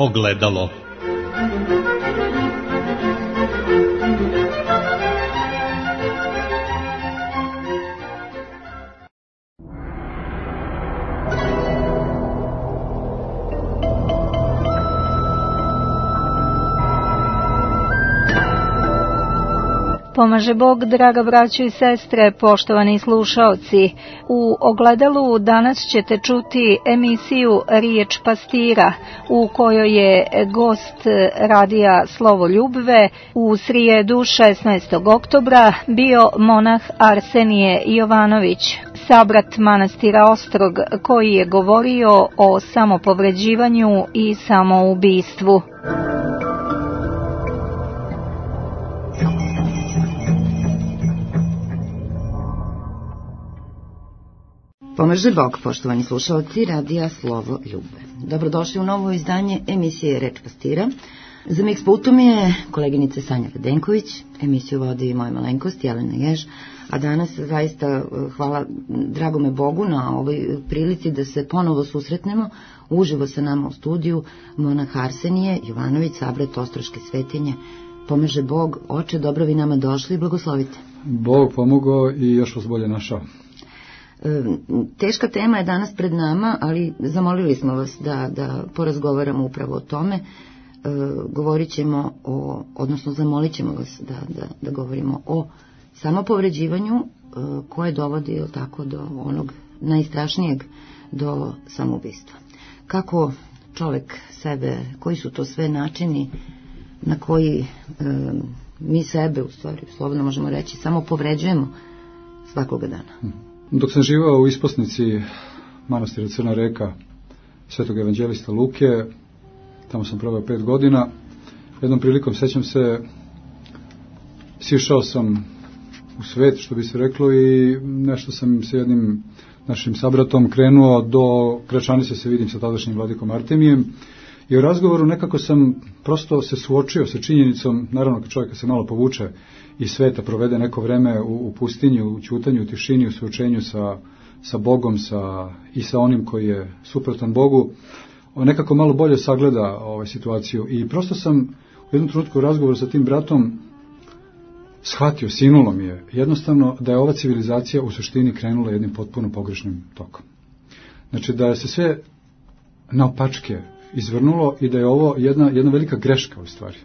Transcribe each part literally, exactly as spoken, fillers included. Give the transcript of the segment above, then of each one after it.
Ogledalo. Pomaže Bog, draga braćo i sestre, poštovani slušaoci. U Ogledalu danas ćete čuti emisiju Riječ pastira, u kojoj je gost radija Slovo Ljubve u srijedu šesnaestog oktobra bio monah Arsenije Jovanović, sabrat manastira Ostrog, koji je govorio o samopovređivanju i samoubistvu. Pomaže Bog, poštovani slušalci radija Slovo Ljubve. Dobrodošli u novo izdanje emisije Reč pastira. Za mix pultom je koleginica Sanja Radenković, emisiju vodi moja malenkost Jelena Jež, a danas zaista hvala dragome Bogu na ovoj prilici da se ponovo susretnemo uživo sa nama u studiju monah Arsenije Jovanović, sabrat Ostroške svetinje. Pomaže Bog, oče, dobro vi nama došli i blagoslovite. Bog pomogao i još vas bolje našao. Teška tema je danas pred nama, ali zamolili smo vas da, da porazgovaramo upravo o tome. E, govorit ćemo o, odnosno zamolit ćemo vas da, da, da govorimo o samopovređivanju e, koje dovodi tako do onog najstrašnijeg, do samoubistva. Kako čovjek sebe, koji su to sve načini na koji e, mi sebe, u stvari, slobodno možemo reći, samo povređujemo svakoga dana. Dok sam živao u isposnici manastira Crna Reka svetog evanđelista Luke, tamo sam proveo pet godina, jednom prilikom, sećam se, sišao sam u svet, što bi se reklo, i nešto sam sa jednim našim sabratom krenuo do Gračanice, se vidim sa tadašnjim vladikom Artemijem, i u razgovoru nekako sam prosto se suočio sa činjenicom, naravno kad čovjeka se malo povuče iz sveta, provede neko vreme u, u pustinji, u ćutanju, u tišini, u suočenju sa, sa Bogom sa, i sa onim koji je suprotan Bogu, nekako malo bolje sagleda ovaj, situaciju. I prosto sam u jednom trenutku u razgovoru sa tim bratom shvatio, sinulo mi je jednostavno da je ova civilizacija u suštini krenula jednim potpuno pogrešnim tokom. Znači da se sve naopačke izvrnulo i da je ovo jedna, jedna velika greška u stvari.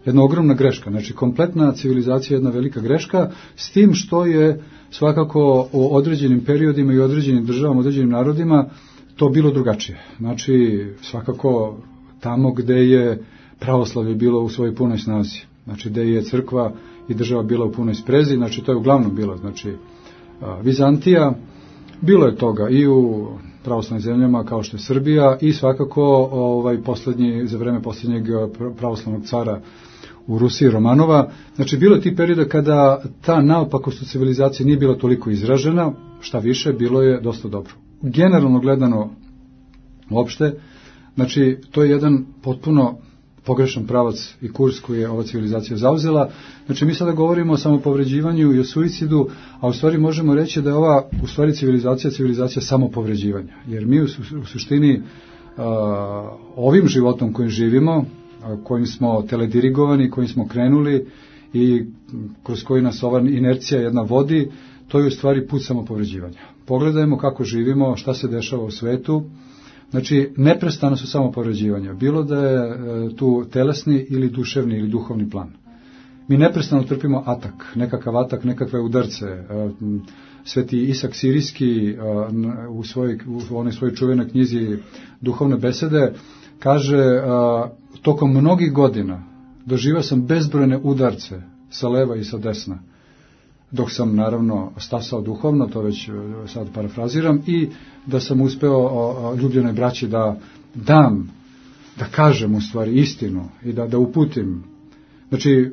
Jedna ogromna greška, znači kompletna civilizacija je jedna velika greška, s tim što je svakako u određenim periodima i određenim državama, određenim narodima to bilo drugačije. Znači svakako tamo gde je pravoslavlje bilo u svojoj punoj snazi, znači gde je crkva i država bila u punoj sprezi, znači to je uglavnom bilo, znači Vizantija, bilo je toga i u pravoslavnim zemljama kao što je Srbija i svakako ovaj poslednji, za vreme posljednjeg pravoslavnog cara u Rusiji, Romanova. Znači bilo je tih perioda kada ta naopakost u civilizaciji nije bila toliko izražena, šta više, bilo je dosta dobro. Generalno gledano uopšte, znači to je jedan potpuno pogrešan pravac i kurs koji je ova civilizacija zauzela. Znači mi sada govorimo o samopovređivanju i o suicidu, a u stvari možemo reći da je ova u stvari civilizacija civilizacija samopovređivanja. Jer mi u, u suštini a, ovim životom kojim živimo, a, kojim smo teledirigovani, kojim smo krenuli i kroz koji nas ova inercija jedna vodi, to je u stvari put samopovređivanja. Pogledajmo kako živimo, šta se dešava u svetu. Znači, neprestano su samo povređivanja, bilo da je e, tu telesni ili duševni ili duhovni plan. Mi neprestano trpimo atak, nekakav atak, nekakve udarce. E, Sveti Isak Sirijski e, u, svoj, u onoj svojoj čuvenoj knjizi Duhovne besede kaže, e, tokom mnogih godina doživao sam bezbrojne udarce sa leva i sa desna, dok sam naravno stasao duhovno, to već sad parafraziram, i da sam uspeo o, o, ljubljenoj braći da dam, da kažem u stvari istinu i da, da uputim. Znači,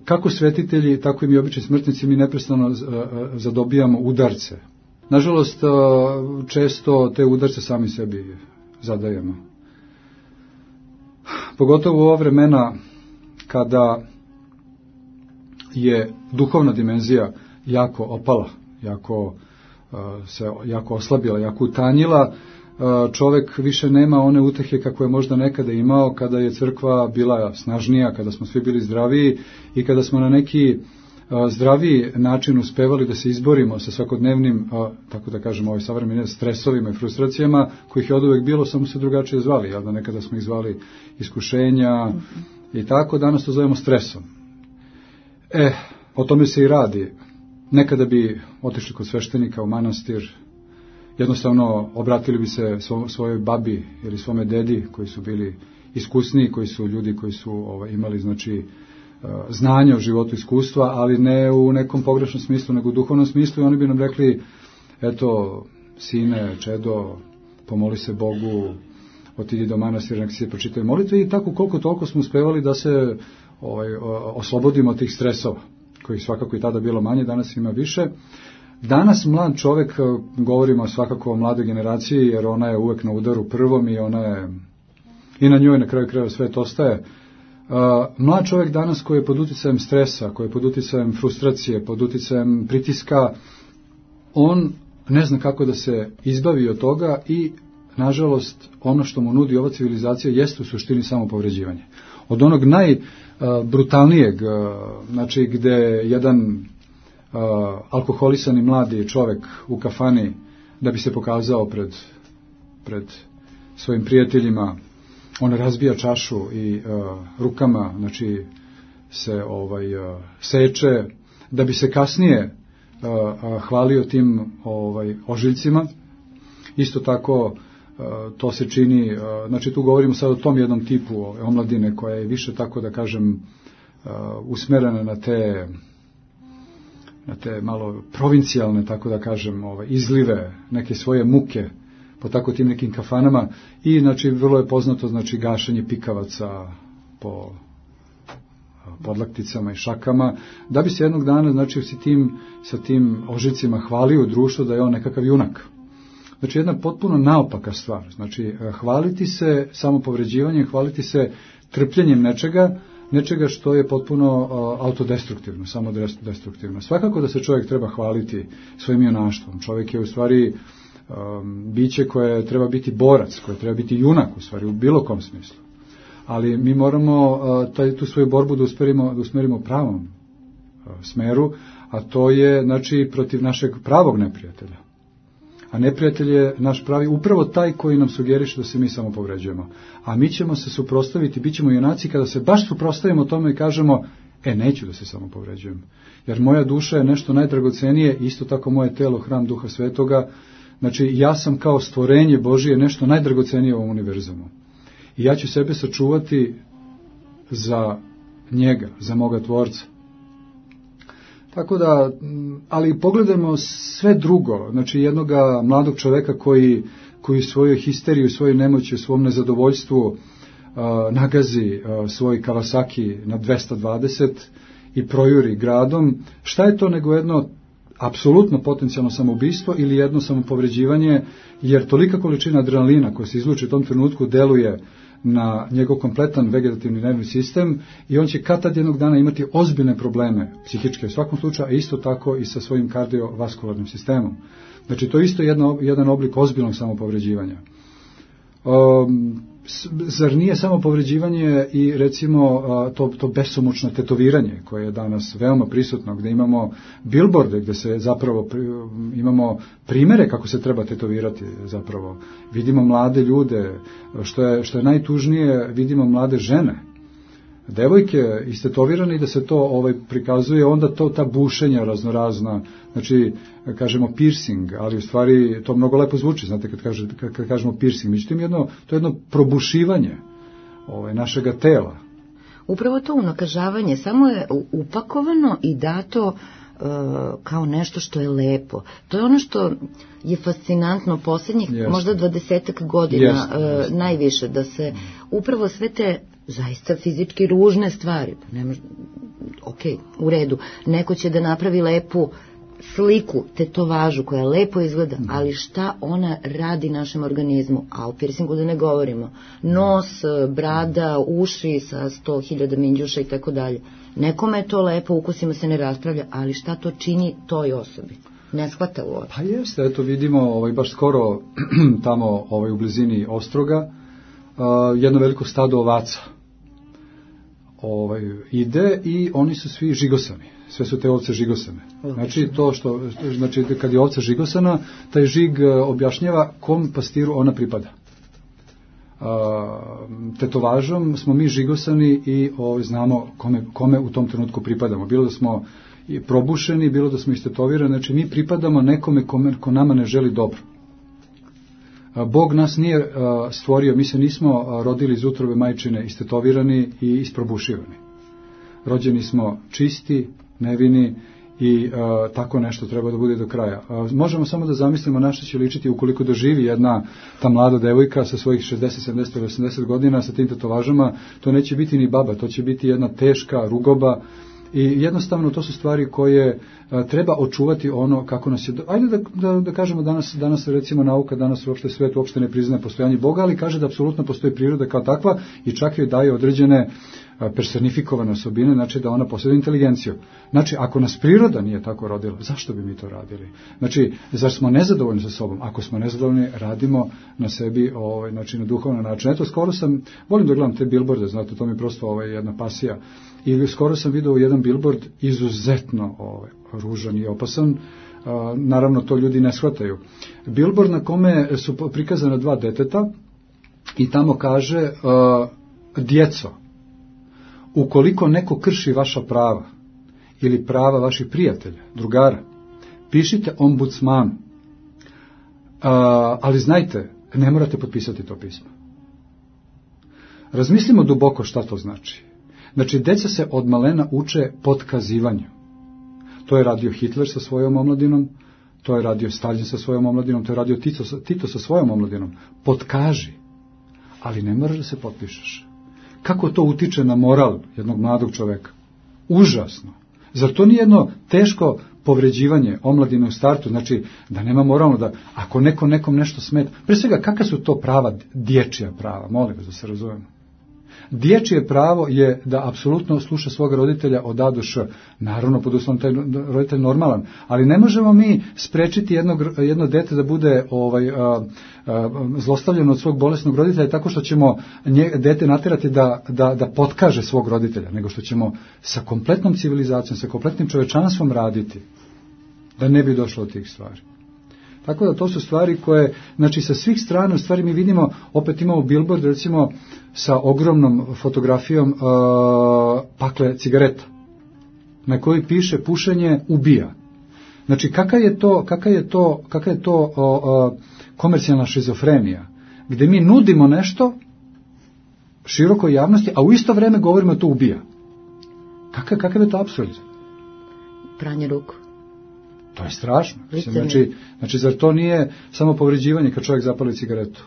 kako svetitelji, tako i mi obični smrtnici, mi neprestano zadobijamo udarce. Nažalost, često te udarce sami sebi zadajemo. Pogotovo u ova vremena kada je duhovna dimenzija jako opala, jako uh, se jako oslabila, jako utanjila, čovek više nema one utehe kako je možda nekada imao, kada je crkva bila snažnija, kada smo svi bili zdraviji i kada smo na neki zdraviji način uspevali da se izborimo sa svakodnevnim, tako da kažemo, ovaj savremenim stresovima i frustracijama, kojih je od uvek bilo, samo se drugačije zvali, jel da nekada smo ih zvali iskušenja i tako, danas to zovemo stresom. E, o tome se i radi. Nekada bi otišli kod sveštenika u manastir, jednostavno obratili bi se svojoj babi ili svome dedi koji su bili iskusniji, koji su ljudi koji su ovaj, imali znači znanje o životu, iskustva, ali ne u nekom pogrešnom smislu, nego u duhovnom smislu, i oni bi nam rekli, eto, sine, čedo, pomoli se Bogu, otidi do manastira, nek se pročitaju molitve, i tako koliko toliko smo uspevali da se ovaj, oslobodimo od tih stresova, kojih svakako i tada bilo manje, danas ima više. Danas mlad čovek, govorimo svakako o mladoj generaciji, jer ona je uvek na udaru prvom i ona je, i na njoj na kraju krajeva sve to ostaje. Uh, mlad čovjek danas koji je pod uticajem stresa, koji je pod uticajem frustracije, pod uticajem pritiska, on ne zna kako da se izbavi od toga i, nažalost, ono što mu nudi ova civilizacija jeste u suštini samo povređivanje. Od onog najbrutalnijeg, uh, znači gde jedan uh, alkoholisani mladi čovjek u kafani, da bi se pokazao pred, pred svojim prijateljima, on razbija čašu i uh, rukama, znači, se ovaj, uh, seče, da bi se kasnije uh, uh, hvalio tim ovaj, ožiljcima. Isto tako, uh, to se čini, uh, znači tu govorimo sad o tom jednom tipu ovaj, omladine koja je više, tako da kažem, uh, usmerena na te, na te malo provincijalne, tako da kažem, ovaj, izlive, neke svoje muke, po tako tim nekim kafanama, i znači vrlo je poznato znači gašenje pikavaca po podlakticama i šakama, da bi se jednog dana znači sa tim, sa tim ožicima hvalio društvo da je on nekakav junak. Znači jedna potpuno naopaka stvar, znači hvaliti se samopovređivanjem, hvaliti se trpljenjem nečega, nečega što je potpuno uh, autodestruktivno, samo destruktivno. Svakako da se čovjek treba hvaliti svojim junaštvom. Čovjek je u stvari Um, biće koje treba biti borac, koje treba biti junak u stvari u bilo kom smislu. Ali mi moramo uh, taj, tu svoju borbu da usmerimo, da usmerimo u pravom uh, smeru, a to je znači protiv našeg pravog neprijatelja. A neprijatelj je naš pravi, upravo taj koji nam sugeriše da se mi samo povređujemo. A mi ćemo se suprotstaviti, bit ćemo junaci kada se baš suprotstavimo tome i kažemo, e, neću da se samo povređujem. Jer moja duša je nešto najdragocenije, isto tako moje telo, hram Duha Svetoga. Znači, ja sam kao stvorenje Božije nešto najdragocenije u ovom univerzumu. I ja ću sebe sačuvati za njega, za moga tvorca. Tako da, ali pogledajmo sve drugo. Znači, jednoga mladog čoveka koji, koji svojoj histeriju, svojoj nemoći, svom nezadovoljstvu uh, nagazi uh, svoj Kawasaki na dvesta dvadeset i projuri gradom. Šta je to nego jedno apsolutno potencijalno samoubistvo ili jedno samopovređivanje, jer tolika količina adrenalina koja se izluči u tom trenutku deluje na njegov kompletan vegetativni nervni sistem i on će kad tad jednog dana imati ozbiljne probleme psihičke u svakom slučaju, a isto tako i sa svojim kardiovaskularnim sistemom. Znači to je isto jedno, jedan oblik ozbiljnog samopovređivanja. Um, zar nije samo povređivanje i recimo to, to besomučno tetoviranje koje je danas veoma prisutno, gde imamo bilborde, gde se zapravo imamo primere kako se treba tetovirati zapravo. Vidimo mlade ljude, što je, što je najtužnije, vidimo mlade žene, devojke istetovirane i da se to ovaj prikazuje, onda to ta bušenja raznorazna, znači kažemo piercing, ali u stvari to mnogo lepo zvuči, znate kad, kaže, kad, kad kažemo piercing, međutim jedno, to je jedno probušivanje ovaj, našega tela. Upravo to unakažavanje, samo je upakovano i dato uh, kao nešto što je lepo. To je ono što je fascinantno posljednjih Jeste. možda dvadesetak godina Jeste. Uh, Jeste. najviše, da se upravo sve te zaista fizički ružne stvari, ne može, ok, u redu, neko će da napravi lepu sliku, tetovažu koja lepo izgleda, ali šta ona radi našem organizmu, a o piercingu da ne govorimo, nos, brada, uši sa sto hiljada minđuša i tako dalje. Nekome je to lepo, ukusima se ne raspravlja, ali šta to čini toj osobi? ne shvata uopće. Pa jeste, eto vidimo ovaj, baš skoro tamo ovaj, u blizini Ostroga uh, jedno veliko stado ovaca ovaj, ide i oni su svi žigosani. Sve su te ovce žigosane. Znači, to što, znači, kad je ovca žigosana, taj žig objašnjava kom pastiru ona pripada. Uh, tetovažom smo mi žigosani i ovaj, znamo kome, kome u tom trenutku pripadamo. Bilo da smo i probušeni, bilo da smo istetovirani, znači mi pripadamo nekome kome, ko nama ne želi dobro. Uh, Bog nas nije uh, stvorio, mi se nismo uh, rodili iz utrobe majčine istetovirani i isprobušivani. Rođeni smo čisti, nevini i uh, tako nešto treba da bude do kraja. Uh, možemo samo da zamislimo na što će ličiti ukoliko doživi jedna ta mlada devojka sa svojih šezdeset, sedamdeset ili osamdeset godina sa tim tetovažama, to neće biti ni baba, to će biti jedna teška rugoba i jednostavno to su stvari koje uh, treba očuvati ono kako nas je... Do... Ajde da, da, da kažemo danas, danas recimo nauka, danas uopšte svet uopšte ne priznaje postojanje Boga, ali kaže da apsolutno postoji priroda kao takva i čak joj daje određene personifikovane osobine, znači da ona posjeduje inteligenciju. Znači, ako nas priroda nije tako rodila, zašto bi mi to radili? Znači, zar smo nezadovoljni sa sobom? Ako smo nezadovoljni, radimo na sebi, ovaj, znači na duhovni način. Eto, skoro sam, volim da gledam te billboarde, znate, to mi je prosto ovaj, jedna pasija. I skoro sam vidio jedan billboard izuzetno ovaj, ružan i opasan. Uh, naravno, to ljudi ne shvataju. Billboard na kome su prikazana dva deteta i tamo kaže uh, djeco, ukoliko neko krši vaša prava ili prava vaših prijatelja, drugara, pišite ombudsmanu. Uh, ali znajte, ne morate potpisati to pismo. Razmislimo duboko šta to znači. Znači, deca se od malena uče potkazivanju. To je radio Hitler sa svojom omladinom, to je radio Stalin sa svojom omladinom, to je radio Tito, Tito sa svojom omladinom. Potkaži, ali ne moraš da se potpišeš. Kako to utiče na moral jednog mladog čoveka? Užasno. Zar to nije jedno teško povređivanje omladine u startu? Znači, da nema moralno da, ako neko nekom nešto smeta, pre svega, kakva su to prava, dječja prava? Molim vas da se razumemo. Dječje pravo je da apsolutno sluša svoga roditelja od A do Š. Naravno, pod uslovom taj roditelj normalan. Ali ne možemo mi sprečiti jedno, jedno dete da bude ovaj, a, a, zlostavljeno od svog bolesnog roditelja tako što ćemo nje, dete naterati da, da, da potkaže svog roditelja, nego što ćemo sa kompletnom civilizacijom, sa kompletnim čovečanstvom raditi da ne bi došlo od tih stvari. Tako da to su stvari koje, znači sa svih strana u stvari mi vidimo, opet imamo billboard recimo sa ogromnom fotografijom uh, pakle cigareta na kojoj piše pušenje ubija. Znači kakva je to, kakva je to, kakva je to uh, uh, komercijalna šizofrenija gdje mi nudimo nešto širokoj javnosti, a u isto vrijeme govorimo da to ubija. Kakav, kakav je to apsurd? Pranje ruku. To je strašno. Znači, znači, zar to nije samo povređivanje kad čovjek zapali cigaretu?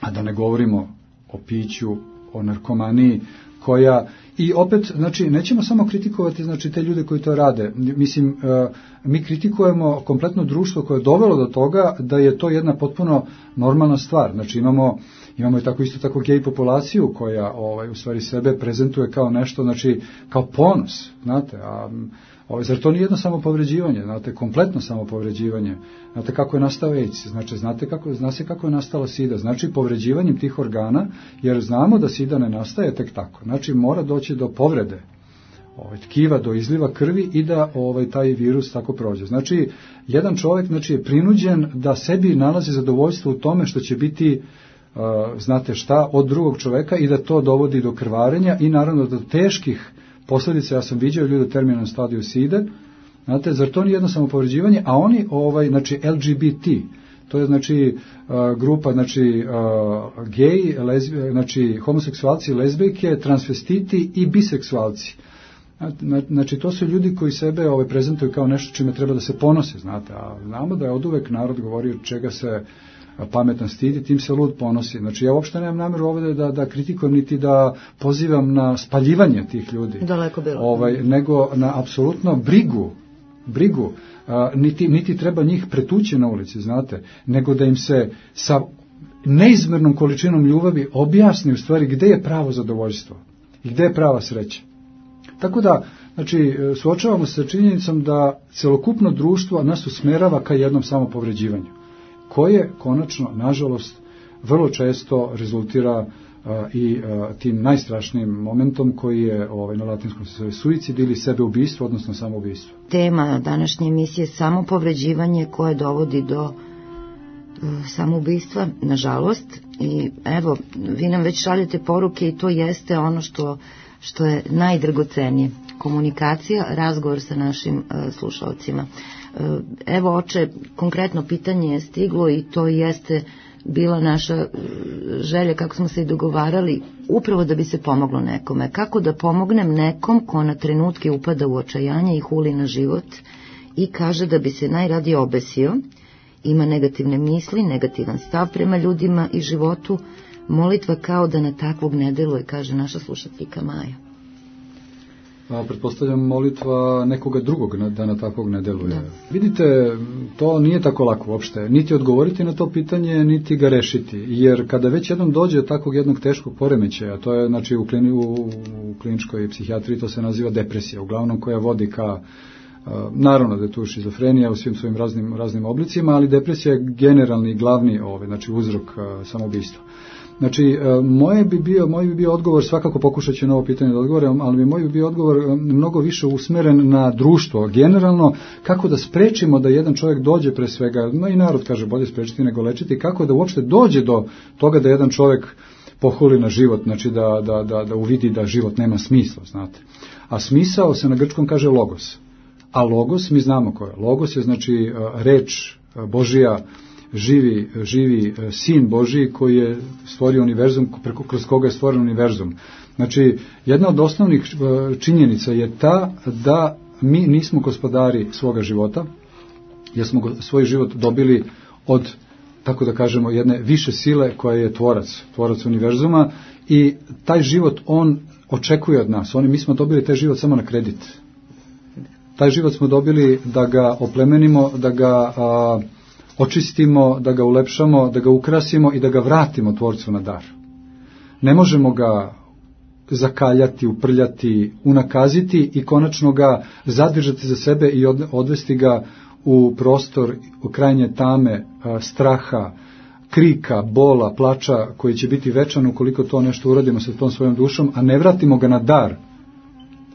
A da ne govorimo o piću, o narkomaniji, koja, i opet, znači, nećemo samo kritikovati, znači, te ljude koji to rade. Mislim, mi kritikujemo kompletno društvo koje je dovelo do toga da je to jedna potpuno normalna stvar. Znači, imamo, imamo i tako isto tako gej populaciju koja, ovaj, u stvari sebe prezentuje kao nešto, znači, kao ponos, znate, a Ovo, zar to nije jedno samopovređivanje, znate, kompletno samopovređivanje, znate kako je nastao AIDS, znači, znate kako, zna se kako je nastala sida, znači povređivanjem tih organa, jer znamo da sida ne nastaje tek tako, znači mora doći do povrede ovaj, tkiva, do izliva krvi i da ovaj, taj virus tako prođe. Znači, jedan čovjek znači, je prinuđen da sebi nalazi zadovoljstvo u tome što će biti, uh, znate šta, od drugog čovjeka i da to dovodi do krvarenja i naravno do teških posljedice. Ja sam viđao ljudi u terminalnom stadiju side, znate, zar to nije jedno samopovređivanje, a oni, ovaj, znači, L G B T, to je, znači, uh, grupa, znači, uh, gej, lezbi, znači, homoseksualci, lezbijke, transvestiti i biseksualci. Znači, to su ljudi koji sebe ovaj, prezentuju kao nešto čime treba da se ponose, znate, a znamo da je oduvek narod govorio čega se pametan stidi, tim se lud ponosi. Znači, ja uopšte nemam namjeru ovdje da, da kritikujem, niti da pozivam na spaljivanje tih ljudi. Daleko bilo. Ovaj, nego na apsolutno brigu, brigu, a, niti, niti treba njih pretući na ulici, znate, nego da im se sa neizmjernom količinom ljubavi objasni u stvari gdje je pravo zadovoljstvo i gdje je prava sreća. Tako da, Znači, suočavamo se sa činjenicom da celokupno društvo nas usmerava ka jednom samopovređivanju, koje konačno, nažalost, vrlo često rezultira a, i a, tim najstrašnijim momentom koji je ovaj, na latinskom se zove suicid ili sebeubistvo, odnosno samoubistvo. Tema današnje emisije je samopovređivanje koje dovodi do uh, samoubistva, nažalost. I evo, vi nam već šaljete poruke i to jeste ono što, što je najdragocenije. Komunikacija, razgovor sa našim uh, slušalcima. Uh, evo, oče, konkretno pitanje je stiglo i to jeste bila naša želja, kako smo se i dogovarali, upravo da bi se pomoglo nekome. Kako da pomognem nekom ko na trenutke upada u očajanje i huli na život i kaže da bi se najradije obesio, ima negativne misli, negativan stav prema ljudima i životu, molitva kao da na takvog ne deluje, kaže naša slušateljka Maja. A, pretpostavljam molitva nekoga drugog da na takvog ne deluje. Da. Vidite, to nije tako lako uopšte. Niti odgovoriti na to pitanje, niti ga rešiti. Jer kada već jednom dođe do takvog jednog teškog poremećaja, to je znači u, klini, u, u kliničkoj psihijatriji, to se naziva depresija, uglavnom koja vodi ka, naravno da je tu šizofrenija u svim svojim raznim, raznim oblicima, ali depresija je generalni, glavni ovaj, znači uzrok samoubistva. Znači, moje bi bio, moj bi bio odgovor, svakako pokušat ću na ovo pitanje da odgovorim, ali bi moj bi bio odgovor mnogo više usmeren na društvo. Generalno, kako da sprečimo da jedan čovjek dođe pre svega, no i narod kaže bolje sprečiti nego lečiti, kako da uopšte dođe do toga da jedan čovjek pohuli na život, znači da, da, da, da uvidi da život nema smisla, znate. A smisao se na grčkom kaže logos. A logos, mi znamo ko je. Logos je znači reč Božija, živi, živi sin Božiji koji je stvorio univerzum, preko, kroz koga je stvoren univerzum. Znači, jedna od osnovnih činjenica je ta da mi nismo gospodari svoga života, jer smo svoj život dobili od, tako da kažemo, jedne više sile koja je tvorac, tvorac univerzuma i taj život on očekuje od nas. Oni, mi smo dobili taj život samo na kredit. Taj život smo dobili da ga oplemenimo, da ga a, očistimo, da ga ulepšamo, da ga ukrasimo i da ga vratimo tvorcu na dar. Ne možemo ga zakaljati, uprljati, unakaziti i konačno ga zadržati za sebe i odvesti ga u prostor u krajnje tame, straha, krika, bola, plača koji će biti večan ukoliko to nešto uradimo sa tom svojom dušom, a ne vratimo ga na dar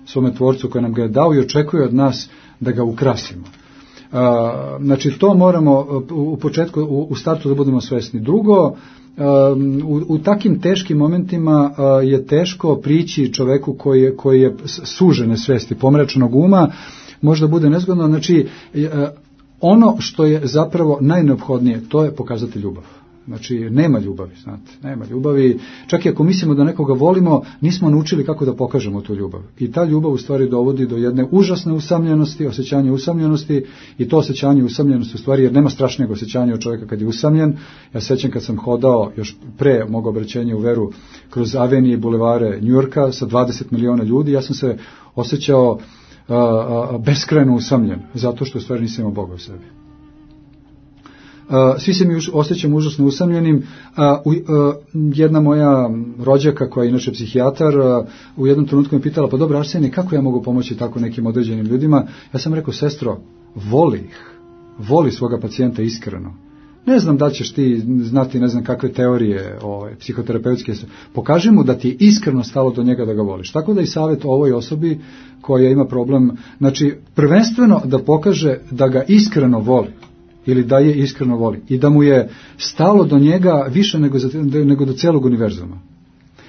svome tvorcu koji nam ga je dao i očekuje od nas da ga ukrasimo. Znači, to moramo u početku, u startu da budemo svesni. Drugo, u, u takim teškim momentima je teško prići čoveku koji je, koji je sužene svesti, pomračenog uma, možda bude nezgodno. Znači, ono što je zapravo najneophodnije, to je pokazati ljubav. Znači, nema ljubavi, znate, nema ljubavi. Čak i ako mislimo da nekoga volimo, nismo naučili kako da pokažemo tu ljubav. I ta ljubav u stvari dovodi do jedne užasne usamljenosti, osjećanja usamljenosti i to osjećanje usamljenosti u stvari, jer nema strašnijeg osjećanja od čovjeka kad je usamljen. Ja sećam kad sam hodao još pre mog obraćenja u veru kroz avenije i bulevare Njujorka sa dvadeset miliona ljudi, ja sam se osjećao a, a, beskrajno usamljen, zato što u stvari nisam imao Boga u sebi. Uh, svi se mi už, osjećamo užasno usamljenim. Uh, uh, jedna moja rođaka koja je inače psihijatar uh, u jednom trenutku me pitala, pa dobro Arsenije, kako ja mogu pomoći tako nekim određenim ljudima? Ja sam rekao, sestro, voli ih, voli svoga pacijenta iskreno. Ne znam da ćeš ti znati ne znam kakve teorije ove, psihoterapeutske, pokaži mu da ti je iskreno stalo do njega da ga voliš. Tako da i savjet ovoj osobi koja ima problem, znači prvenstveno da pokaže da ga iskreno voli ili da je iskreno voli i da mu je stalo do njega više nego, za, nego do celog univerzuma.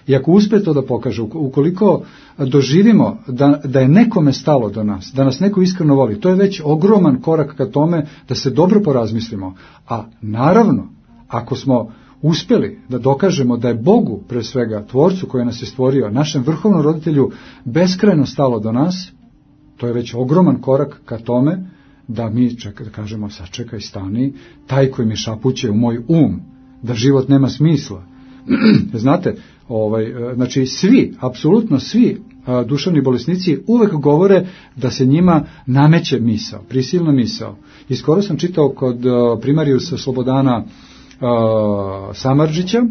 I ako uspe to da pokaže, ukoliko doživimo da, da je nekome stalo do nas, da nas neko iskreno voli, to je već ogroman korak ka tome da se dobro porazmislimo. A naravno, ako smo uspjeli da dokažemo da je Bogu, pre svega tvorcu koji nas je stvorio, našem vrhovnom roditelju, beskrajno stalo do nas, to je već ogroman korak ka tome da mi čeka, da kažemo, sačekaj, stani, taj koji mi šapuće u moj um, da život nema smisla. Znate, ovaj, znači svi, apsolutno svi a, duševni bolesnici uvek govore da se njima nameće misao, prisilna misao. I skoro sam čitao kod a, primarijusa Slobodana a, Samardžića,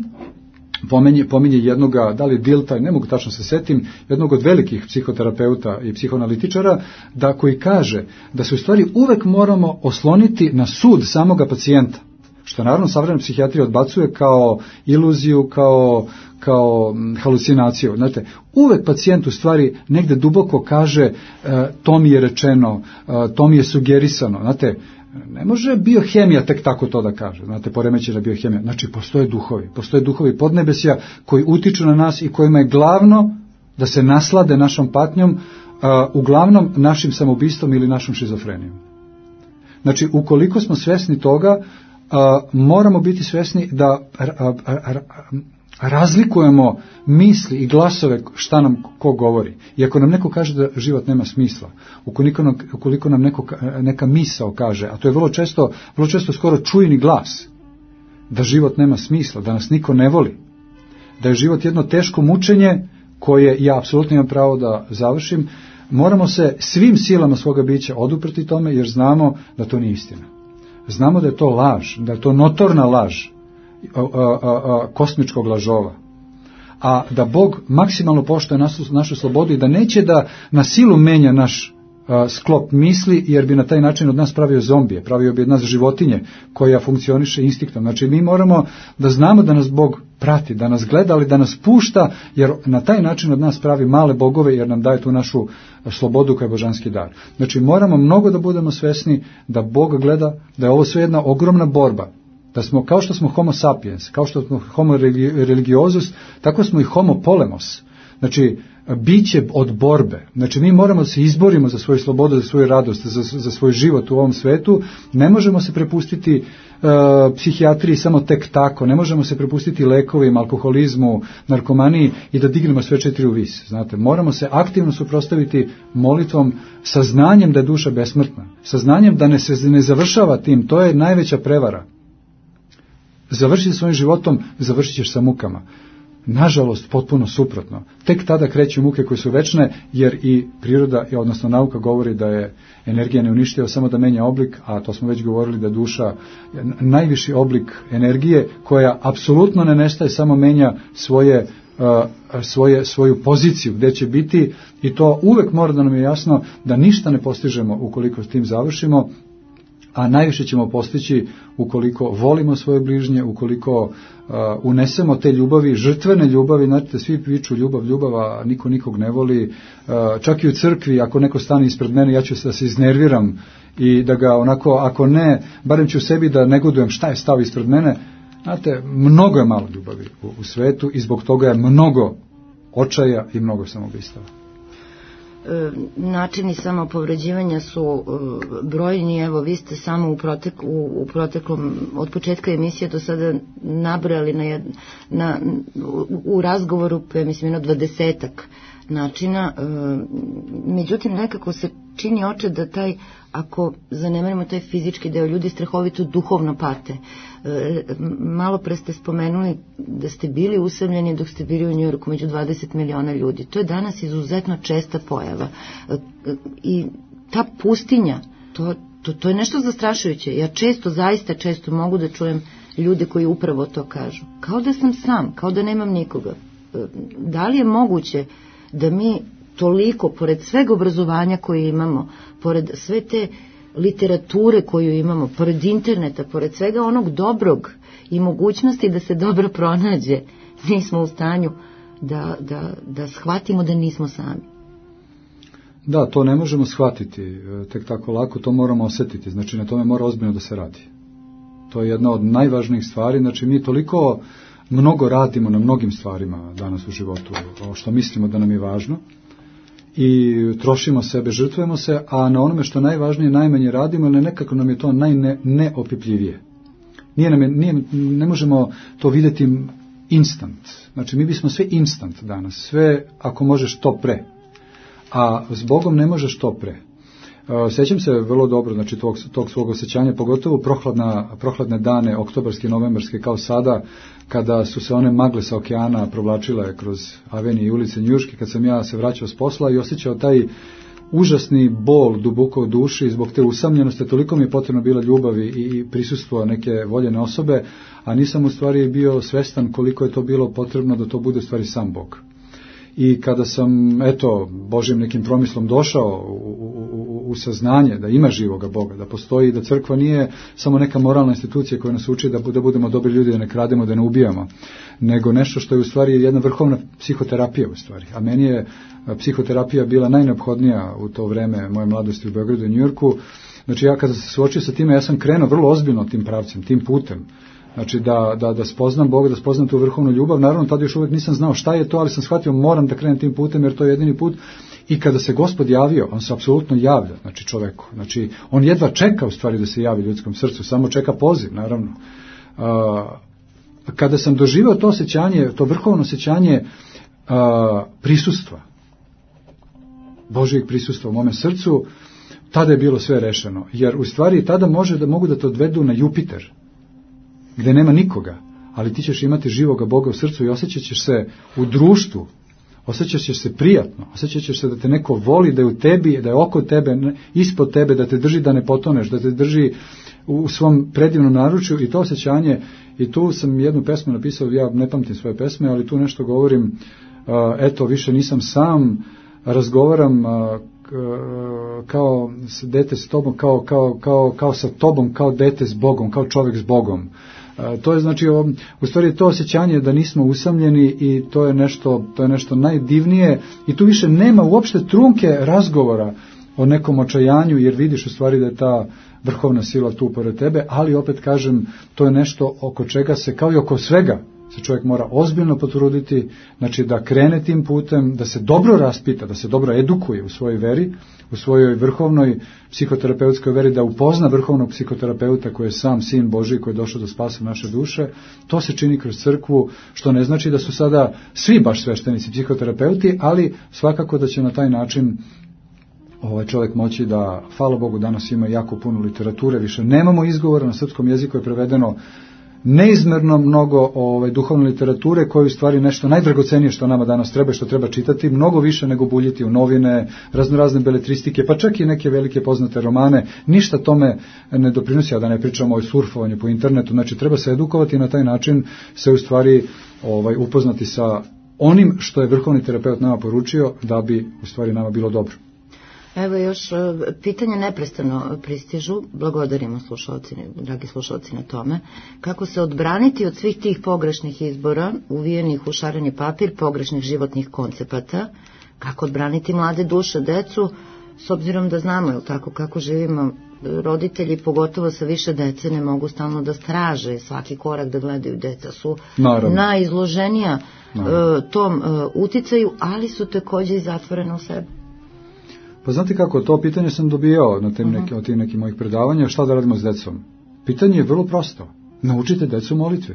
pominje, pominje jednoga, da li Dilta, ne mogu tačno se setim, jednog od velikih psihoterapeuta i psihoanalitičara, da koji kaže da se u stvari uvek moramo osloniti na sud samoga pacijenta, što naravno savremena psihijatrija odbacuje kao iluziju, kao, kao halucinaciju. Znate, uvek pacijent u stvari negde duboko kaže e, to mi je rečeno, e, to mi je sugerisano. Znate, ne može biohemija tek tako to da kaže, znate, poremećena biohemija. Znači, postoje duhovi, postoje duhovi podnebesja koji utiču na nas i kojima je glavno da se naslade našom patnjom, uh, uglavnom našim samoubistvom ili našom šizofrenijom. Znači, ukoliko smo svesni toga, uh, moramo biti svesni da uh, uh, uh, razlikujemo misli i glasove šta nam ko govori. I ako nam neko kaže da život nema smisla, ukoliko nam, ukoliko nam neko, neka misao kaže, a to je vrlo često, vrlo često skoro čujni glas, da život nema smisla, da nas niko ne voli, da je život jedno teško mučenje koje ja apsolutno imam pravo da završim, moramo se svim silama svoga bića oduprti tome, jer znamo da to nije istina. Znamo da je to laž, da je to notorna laž, A, a, a, kosmičkog lažova, a da Bog maksimalno poštuje našu, našu slobodu i da neće da na silu menja naš a, sklop misli, jer bi na taj način od nas pravio zombije, pravio bi od nas životinje koja funkcioniše instiktom. Znači mi moramo da znamo da nas Bog prati, da nas gleda, ali da nas pušta, jer na taj način od nas pravi male bogove, jer nam daje tu našu slobodu koja je božanski dar. Znači moramo mnogo da budemo svesni da Bog gleda, da je ovo sve jedna ogromna borba, da smo, kao što smo homo sapiens, kao što smo homo religiosus, tako smo i homo polemos. Znači, biće od borbe. Znači, mi moramo da se izborimo za svoju slobodu, za svoju radost, za, za svoj život u ovom svetu. Ne možemo se prepustiti uh, psihijatriji samo tek tako. Ne možemo se prepustiti lekovima, alkoholizmu, narkomaniji i da dignemo sve četiri u vis. Znate, moramo se aktivno suprotstaviti molitvom, saznanjem da je duša besmrtna. Saznanjem da ne se ne završava tim. To je najveća prevara. Završiti svojim životom, završit ćeš sa mukama. Nažalost, potpuno suprotno. Tek tada kreću muke koje su večne, jer i priroda, odnosno nauka govori da je energija neuništiva, samo da menja oblik, a to smo već govorili da duša je najviši oblik energije, koja apsolutno ne nestaje, samo menja svoje, uh, svoje, svoju poziciju gdje će biti, i to uvek mora da nam je jasno da ništa ne postižemo ukoliko s tim završimo, a najviše ćemo postići ukoliko volimo svoje bližnje, ukoliko uh, unesemo te ljubavi, žrtvene ljubavi. Znate, svi priču ljubav, ljubav, a niko nikog ne voli. Uh, čak i u crkvi, ako neko stane ispred mene, ja ću se da se iznerviram i da ga onako, ako ne, barem ću sebi da negodujem šta je stao ispred mene. Znate, mnogo je malo ljubavi u, u svetu i zbog toga je mnogo očaja i mnogo samoubistava. Načini samopovređivanja su brojni. Evo, vi ste samo u, protek, u, u proteklom, od početka emisije do sada nabrali na, jed, na, u, u razgovoru, pa mislim, jedno dvadesetak načina. Međutim, nekako se čini oče da taj, ako zanemarimo taj fizički deo, ljudi strahovito duhovno pate. Malo pre ste spomenuli da ste bili usamljeni dok ste bili u Njujorku među dvadeset miliona ljudi. To je danas izuzetno česta pojava. I ta pustinja, to, to, to je nešto zastrašujuće. Ja često, zaista često mogu da čujem ljude koji upravo to kažu. Kao da sam sam, kao da nemam nikoga. Da li je moguće da mi toliko, pored sveg obrazovanja koje imamo, pored sve te literature koju imamo, pored interneta, pored svega onog dobrog i mogućnosti da se dobro pronađe, nismo u stanju da, da, da shvatimo da nismo sami? Da, to ne možemo shvatiti tek tako lako, to moramo osjetiti, znači na tome mora ozbiljno da se radi. To je jedna od najvažnijih stvari, znači mi toliko mnogo radimo na mnogim stvarima danas u životu, što mislimo da nam je važno, i trošimo sebe, žrtvujemo se, a na onome što najvažnije najmanje radimo, ali nekako nam je to najneopipljivije. Nije nam je, nije, ne možemo to vidjeti instant. Znači, mi bismo sve instant danas, sve ako možeš to pre, a s Bogom ne možeš to pre. Sjećam se vrlo dobro, znači, tog, tog svog osjećanja, pogotovo prohladna, prohladne dane, oktobarske, novembarske, kao sada, kada su se one magle sa okeana provlačile kroz avenije i ulice Njujorške, kad sam ja se vraćao s posla i osjećao taj užasni bol duboko u duši, zbog te usamljenosti, toliko mi je potrebno bila ljubavi i prisustvo neke voljene osobe, a nisam u stvari bio svestan koliko je to bilo potrebno da to bude u stvari sam Bog. I kada sam, eto, Božjim nekim promislom došao u, u, u saznanje da ima živoga Boga, da postoji, da crkva nije samo neka moralna institucija koja nas uči da, da budemo dobri ljudi, da ne krademo, da ne ubijamo, nego nešto što je u stvari jedna vrhovna psihoterapija u stvari. A meni je psihoterapija bila najneophodnija u to vreme moje mladosti u Beogradu i Njujorku. Znači ja kada se suočio sa time, ja sam krenuo vrlo ozbiljno tim pravcem, tim putem. Znači da, da, da spoznam Boga, da spoznam tu vrhovnu ljubav. Naravno, tada još uvijek nisam znao šta je to, ali sam shvatio moram da krenem tim putem jer to je jedini put. I kada se Gospod javio, on se apsolutno javlja, znači čoveku. Znači on jedva čeka u stvari da se javi ljudskom srcu, samo čeka poziv, naravno. A, kada sam doživio to osjećanje, to vrhovno osjećanje a, prisustva, Božjeg prisustva u mome srcu, tada je bilo sve rešeno. Jer u stvari tada može da mogu da te odvedu na Jupiter, gde nema nikoga, ali ti ćeš imati živoga Boga u srcu i osjećat ćeš se u društvu, osjećat ćeš se prijatno, osjećat ćeš se da te neko voli, da je u tebi, da je oko tebe, ispod tebe, da te drži da ne potoneš, da te drži u svom predivnom naručju i to osjećanje. I tu sam jednu pesmu napisao, ja ne pamtim svoje pesme, ali tu nešto govorim, eto, više nisam sam, razgovaram kao dete s tobom, kao, kao, kao, kao sa tobom, kao dete s Bogom, kao čovjek s Bogom. To je znači, u stvari to osjećanje da nismo usamljeni i to je nešto, to je nešto najdivnije i tu više nema uopšte trunke razgovora o nekom očajanju jer vidiš u stvari da je ta vrhovna sila tu pored tebe, ali opet kažem, to je nešto oko čega se, kao i oko svega, se čovjek mora ozbiljno potruditi, znači da krene tim putem, da se dobro raspita, da se dobro edukuje u svojoj veri, u svojoj vrhovnoj psihoterapeutskoj veri, da upozna vrhovnog psihoterapeuta koji je sam Sin Božji koji je došao da spase naše duše. To se čini kroz crkvu, što ne znači da su sada svi baš sveštenici psihoterapeuti, ali svakako da će na taj način ovaj čovjek moći da, hvala Bogu, danas ima jako puno literature, više nemamo izgovora, na srpskom jeziku je prevedeno neizmerno mnogo ovaj, duhovne literature koje u stvari nešto najdragocenije što nama danas treba, što treba čitati, mnogo više nego buljiti u novine, raznorazne beletristike, pa čak i neke velike poznate romane. Ništa tome ne doprinosi, a da ne pričamo o surfovanju po internetu. Znači treba se edukovati i na taj način se u stvari ovaj, upoznati sa onim što je vrhovni terapeut nama poručio da bi u stvari nama bilo dobro. Evo još pitanje neprestano pristižu, blagodarimo slušalci, dragi slušalci na tome, kako se odbraniti od svih tih pogrešnih izbora, uvijenih u šareni papir, pogrešnih životnih koncepata, kako odbraniti mlade duše, decu, s obzirom da znamo, je tako, kako živimo, roditelji, pogotovo sa više dece, ne mogu stalno da straže svaki korak da gledaju, deca su Naravno. najizloženija Naravno. tom uticaju, ali su također i zatvorene u sebi. Pa znate kako, to pitanje sam dobijao na tim neki, od tih nekih mojih predavanja, šta da radimo s decom? Pitanje je vrlo prosto. Naučite decu molitvi.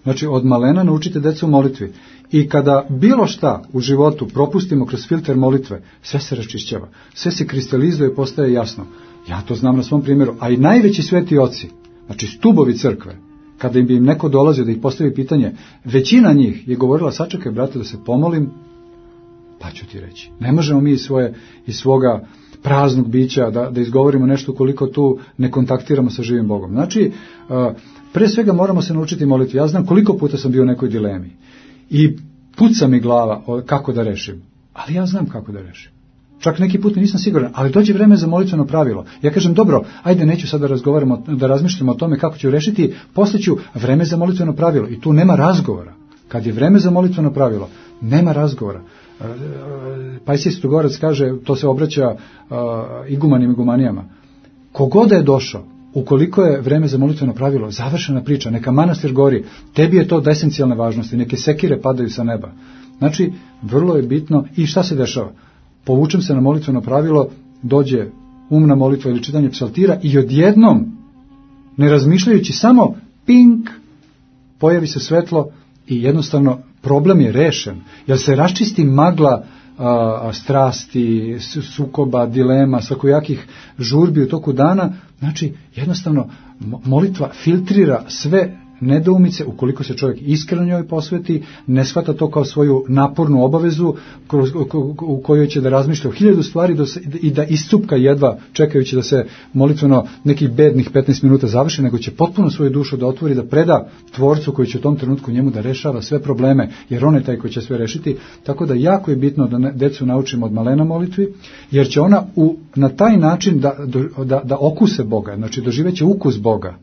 Znači, od malena naučite decu molitvi. I kada bilo šta u životu propustimo kroz filter molitve, sve se raščišćava. Sve se kristalizuje i postaje jasno. Ja to znam na svom primjeru. A i najveći sveti oci, znači stubovi crkve, kada im bi im neko dolazio da ih postavi pitanje, većina njih je govorila, sačekaj brate da se pomolim, pa ću ti reći. Ne možemo mi iz, svoje, iz svoga praznog bića da, da izgovorimo nešto koliko tu ne kontaktiramo sa živim Bogom. Znači, pre svega moramo se naučiti moliti. Ja znam koliko puta sam bio u nekoj dilemi i puca mi glava kako da rešim, ali ja znam kako da rešim. Čak neki put nisam siguran, ali dođe vreme za molitveno pravilo. Ja kažem, dobro, ajde, neću sad da razgovaramo, da razmišljamo o tome kako ću rešiti, poslije ću vreme za molitveno pravilo i tu nema razgovora. Kad je vreme za molitveno pravilo, nema razgovora. Pajsij Strugorac kaže, to se obraća uh, igumanim igumanijama. Kogoda je došao, ukoliko je vreme za molitveno pravilo, završena priča, neka manastir gori, tebi je to od esencijalne važnosti, neke sekire padaju sa neba. Znači, vrlo je bitno. I šta se dešava? Povučem se na molitveno pravilo, dođe umna molitva ili čitanje psaltira i odjednom, ne razmišljajući, samo pink, pojavi se svetlo i jednostavno problem je rešen, jer se raščisti magla a, strasti, sukoba, dilema, svakojakih žurbi u toku dana. Znači, jednostavno molitva filtrira sve nedoumice, ukoliko se čovjek iskreno njoj posveti, ne shvata to kao svoju napornu obavezu u kojoj će da razmišlja o hiljadu stvari i da iscupka jedva čekajući da se molitveno nekih bednih petnaest minuta završi, nego će potpuno svoju dušu da otvori, da preda Tvorcu koji će u tom trenutku njemu da rešava sve probleme, jer on je taj koji će sve rešiti. Tako da jako je bitno da decu naučimo od malena molitvi, jer će ona u, na taj način da, da, da okuse Boga, znači doživeće ukus Boga.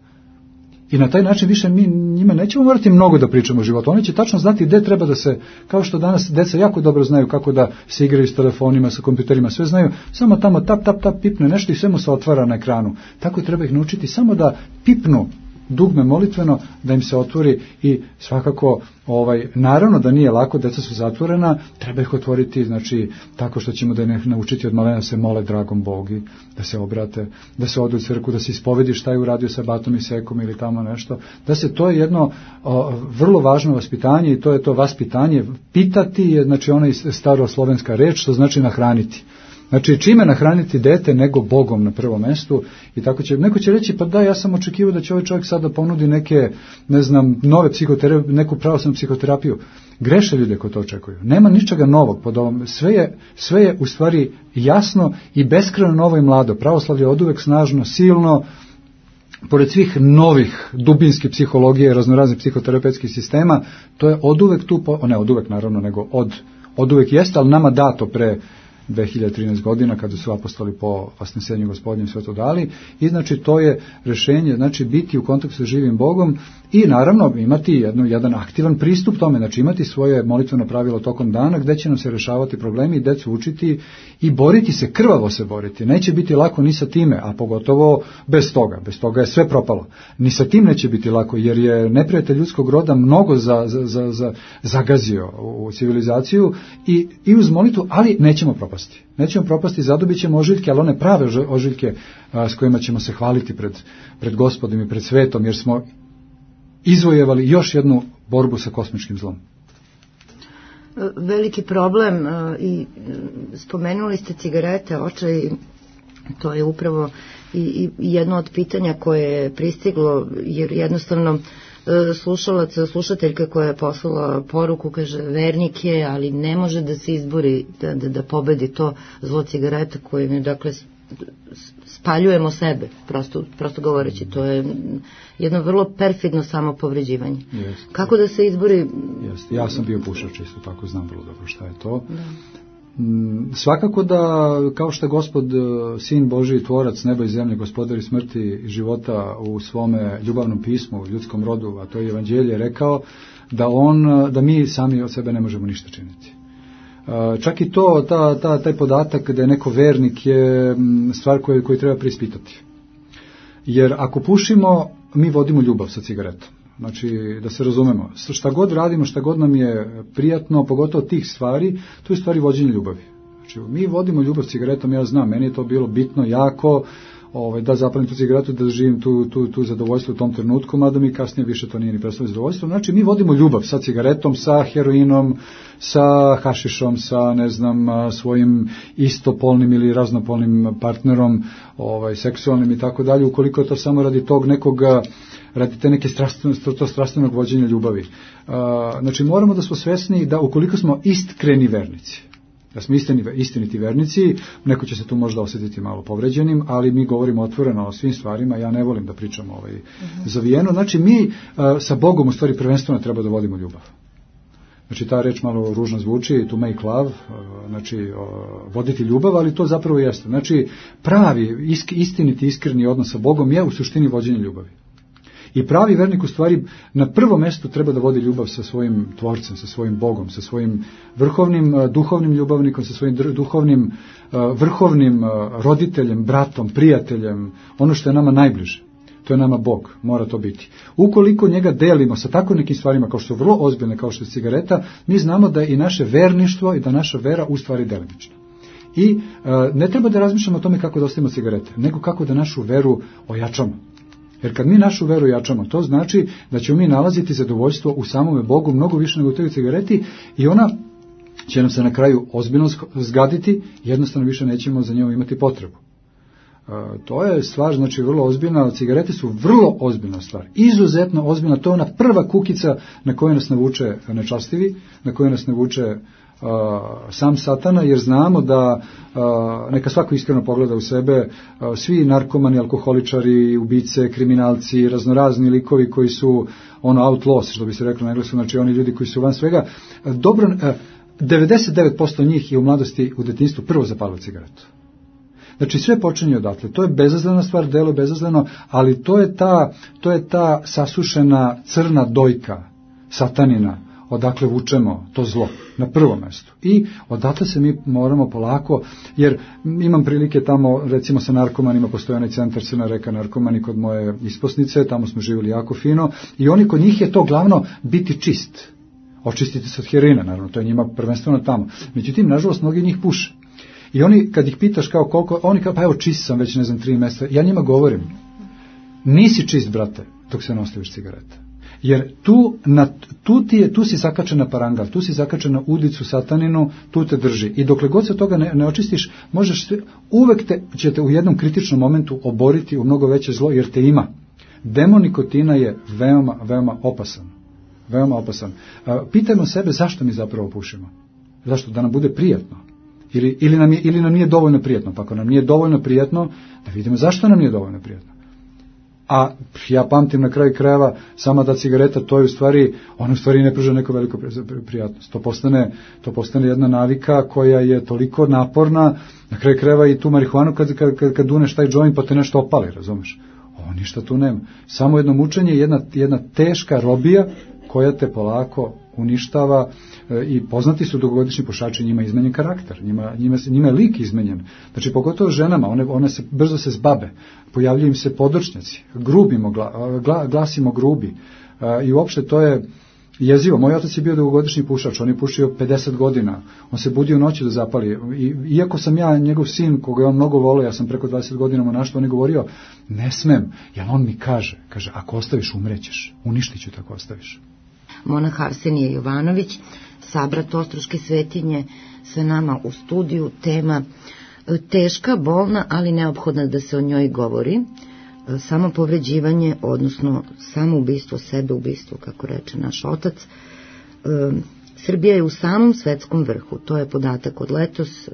I na taj način više mi njima nećemo morati mnogo da pričamo o životu. Oni će tačno znati gde treba da se, kao što danas deca jako dobro znaju kako da se igraju s telefonima, sa kompjuterima, sve znaju, samo tamo tap, tap, tap, pipne nešto i sve mu se otvara na ekranu. Tako treba ih naučiti samo da pipnu dugme molitveno, da im se otvori i svakako, ovaj, naravno da nije lako, deca su zatvorena, treba ih otvoriti, znači, tako što ćemo da ih naučiti od malena da se mole dragom Bogi, da se obrate, da se odu u crkvu, da se ispovedi šta je uradio sa batom i sekom ili tamo nešto, da se, to je jedno o, vrlo važno vaspitanje i to je to vaspitanje, pitati je, znači, ona staroslovenska reč, što znači nahraniti. Znači, čime nahraniti dete nego Bogom na prvom mestu i tako će, neko će reći, pa da, ja sam očekivao da će ovaj čovjek sada ponudi neke, ne znam, nove psihoterapije, neku pravoslavnu psihoterapiju. Greše ljude ko to očekuju. Nema ničega novog pod ovom. Sve je, sve je u stvari jasno i beskrajno novo i mlado. Pravoslavlje je oduvek snažno, silno, pored svih novih dubinskih psihologije, raznoraznih psihoterapeutskih sistema, to je oduvek tu, po, ne oduvek naravno, nego od, oduvek jeste, ali nama dato pre dve hiljade trinaeste godina kada su apostoli po vasnesenju Gospodnjem sve to dali i znači to je rešenje, znači biti u kontaktu sa živim Bogom i naravno imati jedno, jedan aktivan pristup tome, znači imati svoje molitveno pravilo tokom dana gde će nam se rešavati problemi i decu učiti i boriti se, krvavo se boriti. Neće biti lako ni sa time, a pogotovo bez toga. Bez toga je sve propalo. Ni sa tim neće biti lako jer je neprijatelj ljudskog roda mnogo za, za, za, za, zagazio u civilizaciju i, i uz molitvu, ali nećemo propasti. Nećemo propasti, zadobit ćemo ožiljke, ali one prave ožiljke a, s kojima ćemo se hvaliti pred, pred Gospodom i pred svetom, jer smo izvojevali još jednu borbu sa kosmičkim zlom. Veliki problem i spomenuli ste cigarete, očaj, to je upravo i, i jedno od pitanja koje je pristiglo, jer jednostavno slušalac, slušateljka koja je poslala poruku, kaže, vernik je, ali ne može da se izbori, da, da, da pobedi to zlo cigareta koje je, dakle, spaljujemo sebe, prosto, prosto govoreći, to je jedno vrlo perfidno samopovređivanje. Jest. Kako da se izbori? Jest. Ja sam bio pušač, isto tako znam vrlo dobro šta je to. Da. Svakako da, kao što je Gospod, Sin Božiji, Tvorac neba i zemlje, Gospodar i smrti i života u svome ljubavnom pismu, u ljudskom rodu, a to je Evanđelje, rekao da on, da mi sami od sebe ne možemo ništa činiti. Čak i to, ta, ta, taj podatak da je neko vernik je stvar koju, koju treba preispitati. Jer ako pušimo, mi vodimo ljubav sa cigaretom. Znači, da se razumemo, šta god radimo, šta god nam je prijatno, pogotovo tih stvari, to je stvari vođenje ljubavi. Znači, mi vodimo ljubav s cigaretom, ja znam, meni je to bilo bitno, jako, ovaj, da zapalim tu cigaretu, da živim tu, tu, tu zadovoljstvo u tom trenutku, mada mi kasnije više to nije ni predstavljeno zadovoljstvo. Znači, mi vodimo ljubav sa cigaretom, sa heroinom, sa hašišom, sa, ne znam, svojim istopolnim ili raznopolnim partnerom, ovaj, seksualnim i tako dalje, ukoliko je to samo radi tog nekog, radi te neke strastveno, to strastvenog vođenja ljubavi. Znači, moramo da smo svesni da ukoliko smo iskreni vernici, da smo istini, istiniti vernici, neko će se tu možda osjetiti malo povređenim, ali mi govorimo otvoreno o svim stvarima, ja ne volim da pričam ovaj, uh-huh. zavijeno. Znači, mi uh, sa Bogom u stvari prvenstveno treba da vodimo ljubav. Znači, ta reč malo ružno zvuči, to make love, uh, znači, uh, voditi ljubav, ali to zapravo jeste. Znači, pravi, isk, istiniti, iskreni odnos sa Bogom je u suštini vođenje ljubavi. I pravi vernik u stvari na prvom mjestu treba da vodi ljubav sa svojim Tvorcem, sa svojim Bogom, sa svojim vrhovnim duhovnim ljubavnikom, sa svojim duhovnim vrhovnim roditeljem, bratom, prijateljem, ono što je nama najbliže. To je nama Bog, mora to biti. Ukoliko njega delimo sa tako nekim stvarima kao što su vrlo ozbiljne, kao što je cigareta, mi znamo da je i naše verništvo i da naša vera u stvari delimična. I e, ne treba da razmišljamo o tome kako da ostavimo cigarete, nego kako da našu veru ojačamo. Jer kad mi našu veru jačamo, to znači da ćemo mi nalaziti zadovoljstvo u samome Bogu mnogo više nego u toj cigareti i ona će nam se na kraju ozbiljno zgaditi, jednostavno više nećemo za njom imati potrebu. To je stvar, znači, vrlo ozbiljna. Cigarete su vrlo ozbiljna stvar. Izuzetno ozbiljna. To je ona prva kukica na koju nas navuče nečastivi, na koju nas navuče uh, sam satana, jer znamo da uh, neka svako iskreno pogleda u sebe, uh, svi narkomani, alkoholičari, ubice, kriminalci, raznorazni likovi koji su ono outlaws, što bi se reklo na engleskom, znači oni ljudi koji su van svega, uh, dobro, uh, devedeset devet posto njih je u mladosti, u detinjstvu prvo zapalilo cigaretu. Znači sve počinje odatle. To je bezazlena stvar, delo je bezazleno, ali to je ta, to je ta sasušena crna dojka satanina, odakle vučemo to zlo na prvom mjestu. I odatle se mi moramo polako, jer imam prilike tamo, recimo sa narkomanima, postoji onaj centar Crna reka narkomani kod moje isposnice, tamo smo živjeli jako fino, i oni kod njih je to glavno biti čist. Očistiti se od heroina, naravno, to je njima prvenstveno tamo. Međutim, nažalost, mnogi njih puše. I oni, kad ih pitaš kao koliko, oni kao, pa evo čist sam već, ne znam, tri mjeseca, ja njima govorim, nisi čist, brate, dok se ne ostaviš cigarete. Jer tu, na, tu, ti je, tu si zakačen na parangal, tu si zakačen na udicu sataninu, tu te drži. I dokle god se toga ne, ne očistiš, možeš sve, uvek te, će te u jednom kritičnom momentu oboriti u mnogo veće zlo, jer te ima. Demon nikotina je veoma, veoma opasan. Veoma opasan. Pitajmo sebe zašto mi zapravo pušimo. Zašto? Da nam bude prijatno. Ili, ili, nam je, ili nam nije dovoljno prijatno. Pa ako nam nije dovoljno prijatno, da vidimo zašto nam nije dovoljno prijatno. A ja pamtim na kraju krajeva, sama da cigareta, to je u stvari, ona u stvari ne pruža neko veliko prijatnost. To postane, to postane jedna navika koja je toliko naporna, na kraju krajeva i tu marihuanu kad, kad, kad, kad duneš taj joint pa te nešto opali, razumeš? O, ništa tu nema. Samo jedno mučenje, jedna, jedna teška robija koja te polako uništava, e, i poznati su dugogodišnji pušači, njima je izmenjen karakter, njima, njima, njima je lik izmenjen. Znači, pogotovo ženama, one, one se, brzo se zbabe, pojavljaju im se podočnjaci, grubimo, gla, gla, glasimo grubi, e, i uopšte to je jezivo. Moj otac je bio dugogodišnji pušač, on je pušio pedeset godina, on se budio u noći da zapali. I, iako sam ja njegov sin, koga je on mnogo volio, ja sam preko dvadeset godina mu našto, on je govorio, ne smem, jer on mi kaže, kaže, ako ostaviš umrećeš, uništit ću te ako ostaviš. Monah Arsenije Jovanović, sabrat Ostroške svetinje, sa nama u studiju, tema teška, bolna, ali neophodna da se o njoj govori, samo povređivanje, odnosno samo ubistvo sebe, ubistvo, kako reče naš otac. Srbija je u samom svetskom vrhu, to je podatak od letos,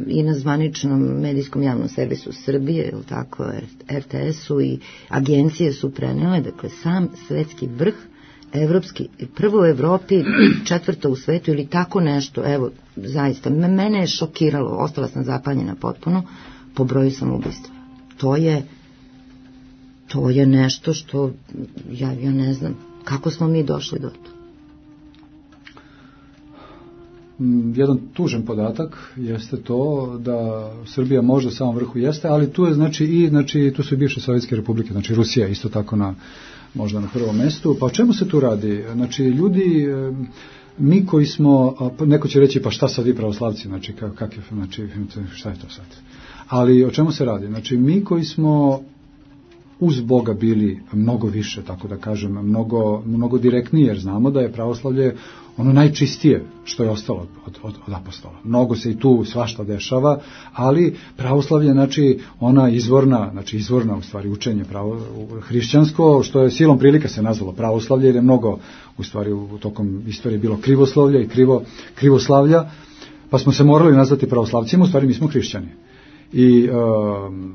i na zvaničnom medijskom javnom servisu Srbije, je tako, er te esu i agencije su prenele, dakle sam svetski vrh, evropski, prvo u Evropi, četvrto u svetu ili tako nešto, evo, zaista, mene je šokiralo, ostala sam zapanjena potpuno, po broju samoubistva. To je, to je nešto što, ja, ja ne znam, kako smo mi došli do to. Jedan tužan podatak jeste to da Srbija možda u samom vrhu jeste, ali tu je, znači, i, znači, tu su i bivše sovjetske republike, znači Rusija isto tako na možda na prvom mjestu. Pa o čemu se tu radi? Znači, ljudi, mi koji smo, neko će reći, pa šta sad vi pravoslavci, znači, kak je, znači, šta je to sad? Ali o čemu se radi? Znači, mi koji smo uz Boga bili mnogo više, tako da kažem, mnogo, mnogo direktnije, jer znamo da je pravoslavlje ono najčistije što je ostalo od, od, od apostola. Mnogo se i tu svašta dešava, ali pravoslavlje, znači, ona izvorna, znači izvorna u stvari učenje pravo, hrišćansko, što je silom prilika se nazvalo pravoslavlje, jer je mnogo u stvari u tokom istorije bilo krivoslovlja i krivo, krivoslavlja, pa smo se morali nazvati pravoslavcima, u stvari mi smo hrišćani. I um,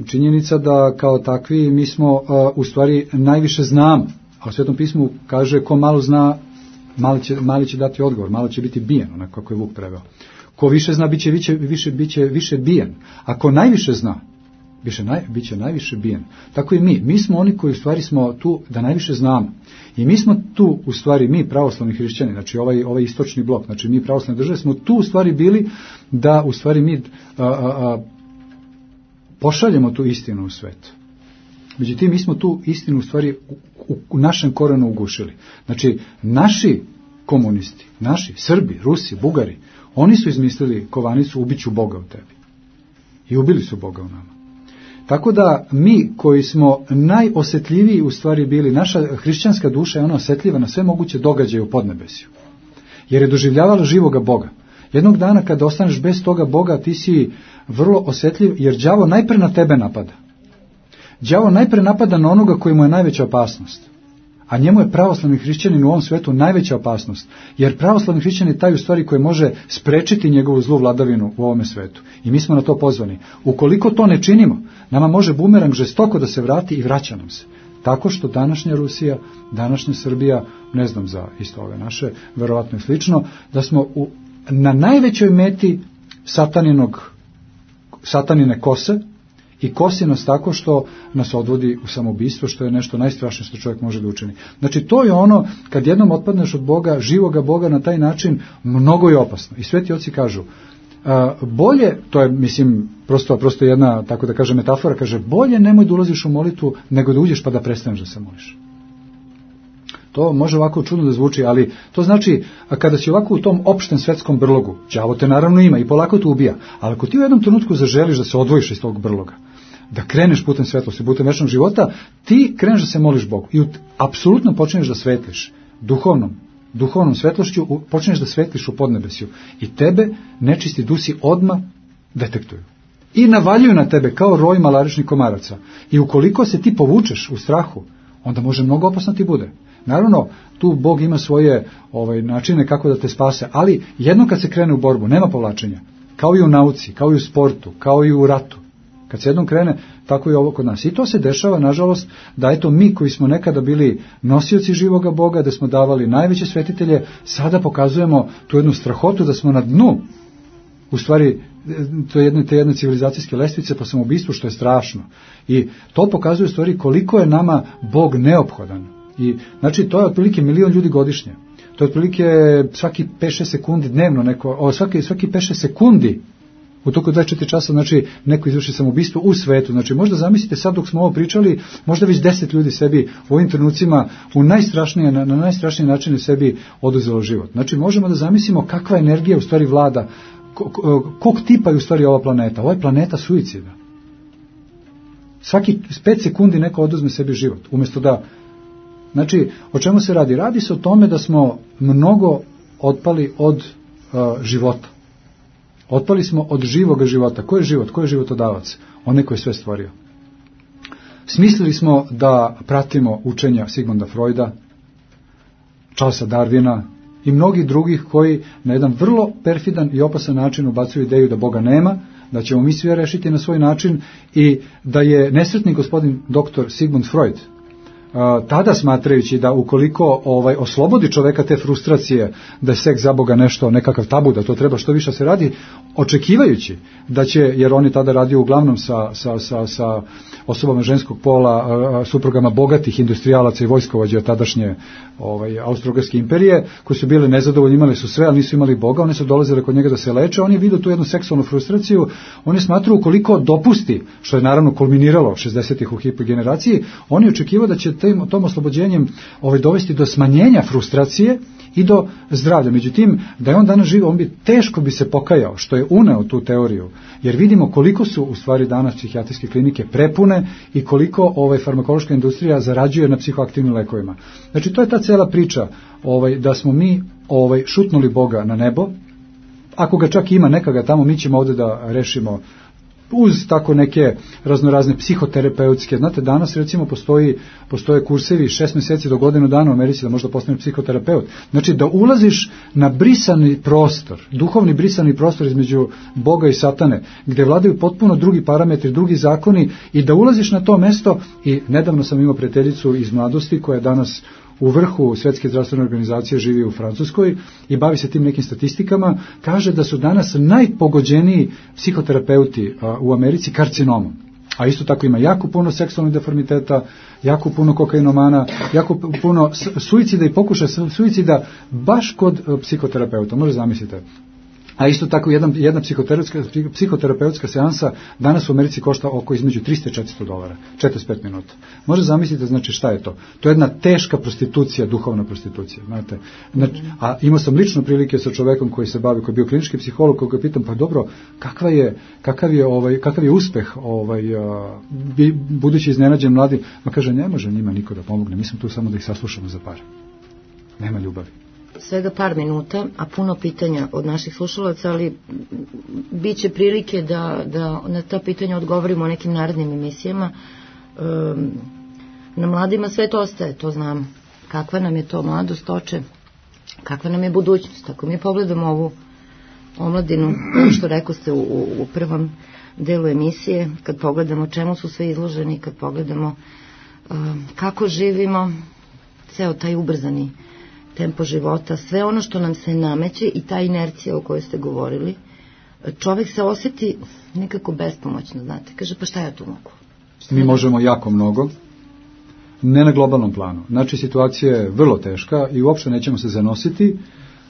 činjenica da kao takvi mi smo uh, u stvari najviše znamo, a u Svetom pismu kaže ko malo zna, mali će, mali će dati odgovor, malo će biti bijen, onako kako je Vuk preveo. Ko više zna, bit će više, više, bit će više bijen. A ko najviše zna, biće, naj, bit će najviše bijen. Tako i mi. Mi smo oni koji u stvari smo tu da najviše znamo. I mi smo tu u stvari, mi pravoslavni hrišćani, znači ovaj, ovaj istočni blok, znači mi pravoslavne države, smo tu u stvari bili da u stvari mi a, a, a, pošaljemo tu istinu u svet. Međutim, mi smo tu istinu u stvari u, u, u našem korenu ugušili. Znači, naši komunisti, naši Srbi, Rusi, Bugari, oni su izmislili kovanicu ubiću Boga u tebi. I ubili su Boga u nama. Tako da mi koji smo najosjetljiviji u stvari bili, naša hrišćanska duša je ona osjetljiva na sve moguće događaje u podnebesju. Jer je doživljavala živoga Boga. Jednog dana kada ostaneš bez toga Boga, ti si vrlo osjetljiv, jer đavo najpre na tebe napada. Đavo najpre napada na onoga koji mu je najveća opasnost. A njemu je pravoslavni hrišćanin u ovom svetu najveća opasnost. Jer pravoslavni hrišćanin je taj u stvari koji može sprečiti njegovu zlu vladavinu u ovome svetu. I mi smo na to pozvani. Ukoliko to ne činimo, nama može bumerang žestoko da se vrati i vraća nam se. Tako što današnja Rusija, današnja Srbija, ne znam za isto ove naše, verovatno i slično, da smo u, na najvećoj meti sataninog, satanine kose, i kosi nas tako što nas odvodi u samoubistvo, što je nešto najstrašnije što čovjek može da učini. Znači to je ono, kad jednom otpadneš od Boga, živoga Boga na taj način, mnogo je opasno. I sveti oci kažu, a, bolje, to je mislim prosto, prosto jedna, tako da kaže metafora, kaže bolje nemoj da ulaziš u molitvu nego da uđeš pa da prestaneš da se moliš. To može ovako čudno da zvuči, ali to znači, a kada si ovako u tom opštem svetskom brlogu, đavo te naravno ima i polako te ubija, ali ako ti u jednom trenutku zaželiš da se odvojiš iz tog brloga, da kreneš putem svetlosti, putem večnog života, ti kreneš da se moliš Bogu i apsolutno počneš da svetliš duhovnom, duhovnom svetlošću, počneš da svetliš u podnebesju i tebe nečisti dusi odmah detektuju. I navaljuju na tebe kao roj malaričnih komaraca. I ukoliko se ti povučeš u strahu, onda može mnogo opasno ti bude. Naravno, tu Bog ima svoje ovaj, načine kako da te spase, ali jedno kad se krene u borbu, nema povlačenja. Kao i u nauci, kao i u sportu, kao i u ratu. Kad se jednom krene, tako i ovo kod nas. I to se dešava, nažalost, da eto mi koji smo nekada bili nosioci živoga Boga, da smo davali najveće svetitelje, sada pokazujemo tu jednu strahotu da smo na dnu, u stvari, to je jedne, te jedne civilizacijske lestvice po samoubistvu, što je strašno. I to pokazuje u stvari koliko je nama Bog neophodan. I, znači, to je otprilike milion ljudi godišnje. To je otprilike svaki pet šest sekundi dnevno, neko, o, svaki, svaki pet šest sekundi u toku dvadeset četiri časa, znači, neko izvrši samoubistvo u svetu. Znači, možda zamislite sad dok smo ovo pričali, možda već deset ljudi sebi u ovim trenucima u najstrašnije, na, na najstrašnije načine sebi oduzelo život. Znači, možemo da zamislimo kakva energija u stvari vlada, kog tipa je u stvari ova planeta. Ova je planeta suicida. Svaki pet sekundi neko oduzme sebi život, umjesto da. Znači, o čemu se radi? Radi se o tome da smo mnogo otpali od uh, života. Otpali smo od živoga života. Ko je život? Ko je životodavac? Onaj koji je sve stvorio. Smislili smo da pratimo učenja Sigmunda Freuda, Charlesa Darwina i mnogih drugih koji na jedan vrlo perfidan i opasan način ubacuju ideju da Boga nema, da ćemo mi sve rešiti na svoj način i da je nesretni gospodin doktor Sigmund Freud, tada smatrajući da ukoliko ovaj oslobodi čoveka te frustracije da je seks za Boga nešto, nekakav tabu, da to treba što više se radi, očekivajući da će, jer on je tada radio uglavnom sa, sa, sa, sa osobama ženskog pola, suprugama bogatih industrijalaca i vojskovođa tadašnje ovaj, Austro-Ugarske imperije, koji su bili nezadovoljni, imali su sve, ali nisu imali Boga, one su dolazile kod njega da se leče, on je vidio tu jednu seksualnu frustraciju, on je smatrao ukoliko dopusti, što je naravno kulminiralo šezdesetih u hipogeneraciji, on je očekivao da će tim, tom oslobođenjem ovaj, dovesti do smanjenja frustracije i do zdravlja. Međutim, da je on danas živo, on bi teško bi se pokajao što je uneo tu teoriju, jer vidimo koliko su u stvari danas psihijatrijske klinike prepune i koliko ovaj farmakološka industrija zarađuje na psihoaktivnim lekovima. Znači, to je ta cela priča, ovaj, da smo mi ovaj, šutnuli Boga na nebo, ako ga čak ima, neka ga tamo, mi ćemo ovdje da rešimo uz tako neke raznorazne psihoterapeutske. Znate, danas recimo postoji, postoje kursevi šest mjeseci do godinu dana u Americi da možda postaneš psihoterapeut. Znači da ulaziš na brisani prostor, duhovni brisani prostor između Boga i Satane, gdje vladaju potpuno drugi parametri, drugi zakoni i da ulaziš na to mesto. I nedavno sam imao prijateljicu iz mladosti koja je danas u vrhu Svjetske zdravstvene organizacije, živi u Francuskoj i bavi se tim nekim statistikama, kaže da su danas najpogođeniji psihoterapeuti a, u Americi karcinomom. A isto tako ima jako puno seksualnih deformiteta, jako puno kokainomana, jako puno suicida i pokušaja suicida baš kod psihoterapeuta, može zamislite. A isto tako jedan, jedna psihoterapeutska, psihoterapeutska seansa danas u Americi košta oko između trista i četiristo dolara, četrdeset pet minuta. Može zamisliti, znači šta je to? To je jedna teška prostitucija, duhovna prostitucija. Znate? Znači, a imao sam lično prilike sa čovekom koji se bavi, koji je bio klinički psiholog, koga ga pitam, pa dobro, kakva je, kakav je, ovaj, kakav je uspeh ovaj, a, budući iznenađen mladi, ma kaže, ne može njima niko da pomogne, mi smo tu samo da ih saslušamo za pare. Nema ljubavi. svega par minuta, a puno pitanja od naših slušalaca, ali bit će prilike da, da na ta pitanja odgovorimo u nekim narednim emisijama. Um, na mladima sve to ostaje, to znam. Kakva nam je to mladost, oče? Kakva nam je budućnost? Ako mi pogledamo ovu omladinu, što rekao ste u, u prvom delu emisije, kad pogledamo čemu su sve izloženi, kad pogledamo um, kako živimo, ceo taj ubrzani tempo života, sve ono što nam se nameće i ta inercija o kojoj ste govorili, čovjek se osjeti nekako bespomoćno, znate, kaže pa šta ja tu mogu? Šta Mi da... možemo jako mnogo, ne na globalnom planu. Znači situacija je vrlo teška i uopšte nećemo se zanositi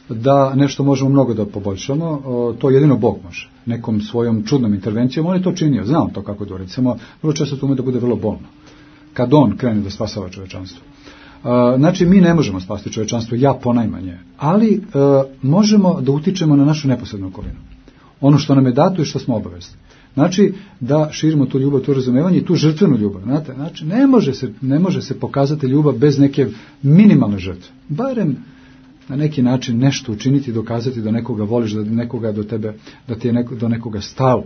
da nešto možemo mnogo da poboljšamo, to jedino Bog može. Nekom svojom čudnom intervencijom, on je to činio, znamo to kako to recimo, vrlo često to ume da bude vrlo bolno. Kad on krene da spasava čovečanstvo. Znači, mi ne možemo spasti čovečanstvo, ja ponajmanje, ali e, možemo da utičemo na našu neposrednu okolinu. Ono što nam je dato i što smo obavezni. Znači, da širimo tu ljubav, tu razumevanje i tu žrtvenu ljubav. Znate? Znači, ne može, se, ne može se pokazati ljubav bez neke minimalne žrtve. Barem na neki način nešto učiniti, dokazati da nekoga voliš, da nekoga do tebe, da ti je neko, do nekoga stalo.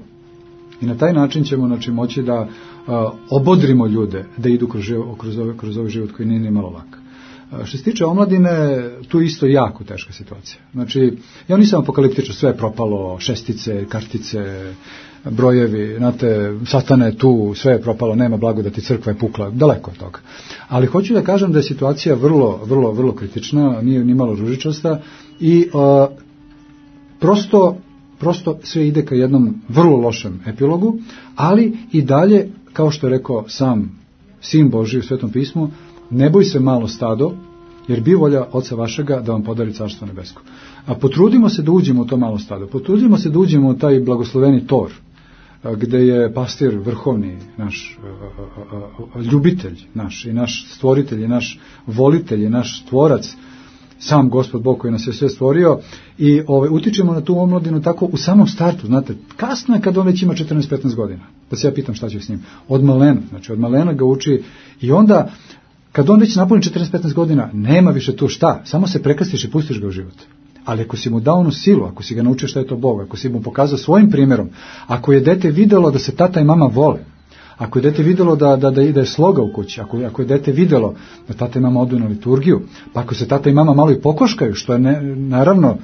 I na taj način ćemo znači, moći da a, obodrimo ljude da idu kroz, kroz, ovaj, kroz ovaj život koji nije ni malo lak. A, što se tiče omladine, tu isto jako teška situacija. Znači, ja nisam apokaliptičan, sve je propalo, šestice, kartice, brojevi, znate, satana je tu, sve je propalo, nema blagodati, crkva je pukla, daleko od toga. Ali hoću da kažem da je situacija vrlo, vrlo, vrlo kritična, nije ni malo ružičasta i a, prosto Prosto sve ide ka jednom vrlo lošem epilogu, ali i dalje, kao što je rekao sam Sin Božji u Svetom pismu, ne boj se malo stado, jer bi volja Oca vašega da vam podari Carstvo nebesko. A potrudimo se da uđemo u to malo stado, potrudimo se da uđemo u taj blagosloveni tor, gde je pastir vrhovni, naš ljubitelj, naš i naš stvoritelj, i naš volitelj, i naš stvorac, sam Gospod Bog koji nas je sve stvorio i ovaj, utičemo na tu omladinu tako u samom startu, znate, kasno je kad on već ima četrnaest petnaest godina, da se ja pitam šta će s njim, od malena, znači od malena ga uči i onda kad on već napuni četrnaest petnaest godina, nema više tu šta, samo se prekrstiš i pustiš ga u život. Ali ako si mu dao onu silu, ako si ga naučio šta je to Bog, ako si mu pokazao svojim primjerom, ako je dete videlo da se tata i mama vole, ako je dete vidjelo da, da, da ide sloga u kući, ako, ako je dete vidjelo da tata i mama odu na liturgiju, pa ako se tata i mama malo i pokoškaju, što je ne, naravno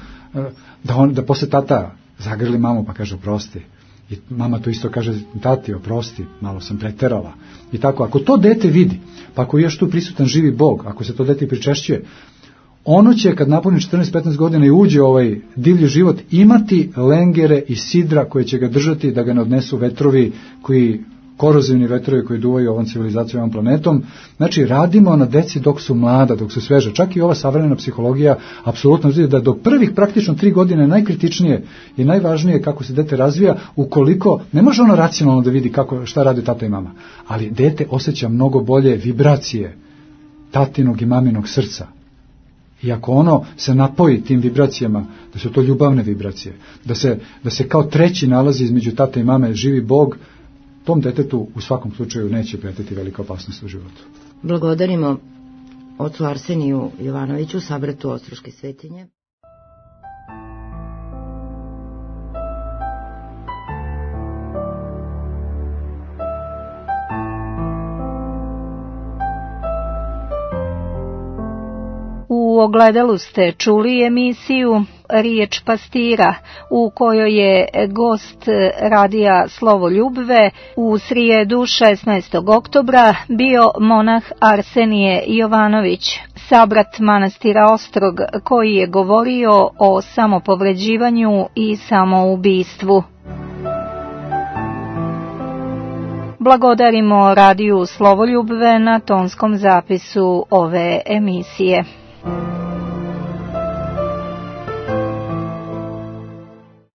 da, on, da posle tata zagrli mamu pa kaže oprosti. I mama to isto kaže tati oprosti, malo sam preterala. I tako, ako to dete vidi, pa ako je još tu prisutan živi Bog, ako se to dete pričešćuje, ono će kad napuni četrnaest petnaest godina i uđe u ovaj divlji život imati lengere i sidra koje će ga držati da ga ne odnesu vetrovi koji korozivni vetrovi koji duvaju ovom civilizacijom, ovom planetom. Znači, radimo na deci dok su mlada, dok su sveža. Čak i ova savremena psihologija apsolutno vidi da do prvih praktično tri godine najkritičnije i najvažnije kako se dete razvija, ukoliko ne može ono racionalno da vidi kako, šta radi tata i mama, ali dete osjeća mnogo bolje vibracije tatinog i maminog srca. I ako ono se napoji tim vibracijama, da su to ljubavne vibracije, da se, da se kao treći nalazi između tate i mame živi Bog, tom detetu u svakom slučaju neće pretiti velika opasnost u životu. Blagodarimo ocu Arseniju Jovanoviću, sabratu Ostroške svetinje. U ogledalu ste čuli emisiju Riječ pastira, u kojoj je gost radija Slovo Ljubve u srijedu šesnaestog oktobra bio monah Arsenije Jovanović, sabrat manastira Ostrog, koji je govorio o samopovređivanju i samoubistvu. Blagodarimo radiju Slovo Ljubve na tonskom zapisu ove emisije.